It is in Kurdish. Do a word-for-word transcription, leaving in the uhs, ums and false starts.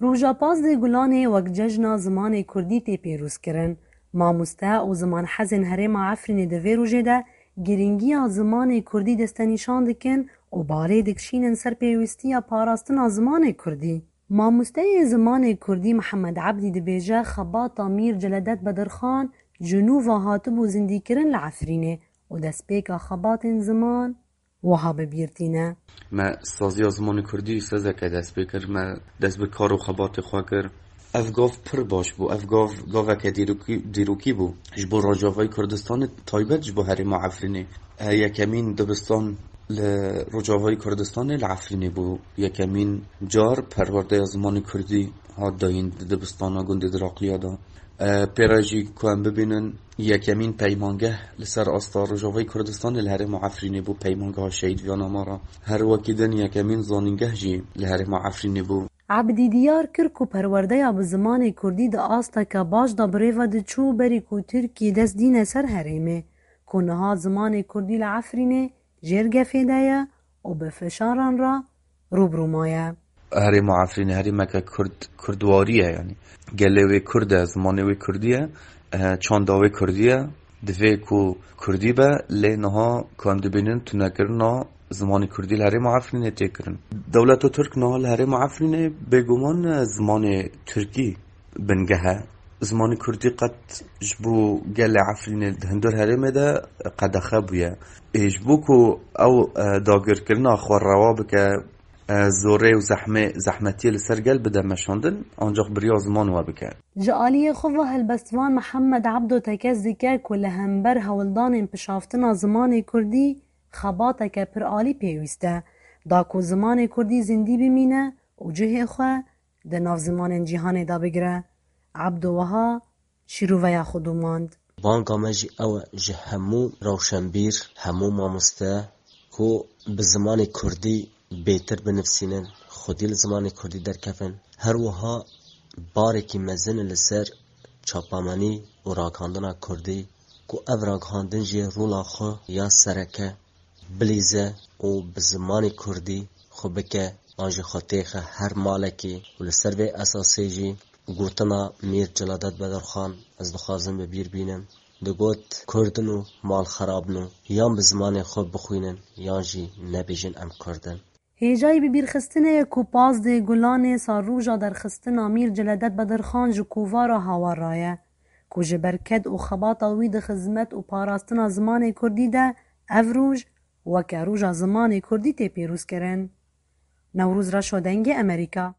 Roja pazdeh Gulanê wek cejna zimanê kurdî tê pîrozkirin. Mamoste û zimanhezên herêma Efrînê di vê rojê de girîngiya zimanê kurdî destenîşan dikin û balê dikişînin ser pêwîstiya parastina zimanê kurdî. Mamosteyê zimanê kurdî Mihemed Ebdî dibêje xebata Mîr Celedet Bedirxan ji nû ve hatibû zindîkirin li Efrînê û destpêka xebatên ziman wiha bi bîr tîne. Me saziya zimanê kurdî sezeke dest pê kir. Me dest bi kar û xebatê xwe kir. Ev gav pir baş bû. Ev gav gaveke dîrokî, dîrokî bû. Ji bo Rojavayê Kurdistanê, taybet ji bo herêma Efrînê. E, yekemîn dibistan li Rojavayê Kurdistanê li Efrînê bû. Yekemîn car perwerdeya zimanê kurdî hat dayîn di dibistana gundê Diraqliya de. E, pê re jî ku em bibînin, yekemîn peymangeh li ser asta Rojavayê Kurdistanê li herêma Efrînê bû, peymangeha Şehîd Viyana Mara. Her wekî din yekemîn zanîngeh jî li herêma Efrînê bû. Ebdî diyar kir ku perwerdeya bi zimanê kurdî di asteke baş de bi rê ve diçû berî ku Tirkiyê dest dîne ser herêmê, ku niha zimanê kurdî li Efrînê jêr gefê de ye û bi fişaran re rû bi rû maye. Herêma Efrînê herêmeke kurd, kurdwarî ye, yanî gelê wê kurd e, zimanê wê kurdî ye, e, çanda wê kurdî ye. Divê ku kurdî be, lê niha ku em dibînin tunekirina zimanê kurdî li herêma Efrînê tê kirin. Dewleta Tirk niha li herêma Efrînê bêguman, e, zimanê tirkî bingeh e. Zimanê kurdî qet ji bo gelê Efrînê di hundir herêmê de qedexe bûye. Ê, ji bo ku ew, e, dagirkirina xwe rewa bike, e, zorê û zehmê, zehmetiyê li ser gel bide meşandin, ancaq bi riya ziman we bike. Ji aliyê xwe ve helbestvan Mihemed Ebdo tekez dike ku li hember hewldanên pişaftina zimanê kurdî xebateke pir alî pêwîst e, da ku zimanê kurdî zindî bimîne û cihê xwe di nav zimanên cîhanê de bigire. Ebdo wiha şîroveya xwe domand. Banga me jî ew e ji hemû rewşenbîr, hemû mamoste ku bi zimanê kurdî bêtir binivîsînin, xwedî li zimanê kurdî derkevin. Her wiha barekî mezin e li ser çapemenî û ragihandina kurdî, ku ev ragihandin jî rola xwe ya sereke bilîze û bi zimanê kurdî xwe bike, an jî xwe têxe her malekê û li ser vê esasê jî gotina Mîr Celadet Bedirxan ez dixwazim bi bîr bînim. Digot, Kurd in û mal xerab in û yan bi zimanê xwe bixwînin, yan jî nebêjin em Kurd in. Hêjayî bibîrxistinê ye ku pazdeh Gulanê sal roja derxistina Mîr Celedet Bedirxan ji kovara Hawar re ye, ku ji ber ked û xebata wî di xizmet û parastina zimanê kurdî de ev roj weke Roja Zimanê Kurdî tê pîrozkirin. Newroz Reşo, Dengê Amerîka.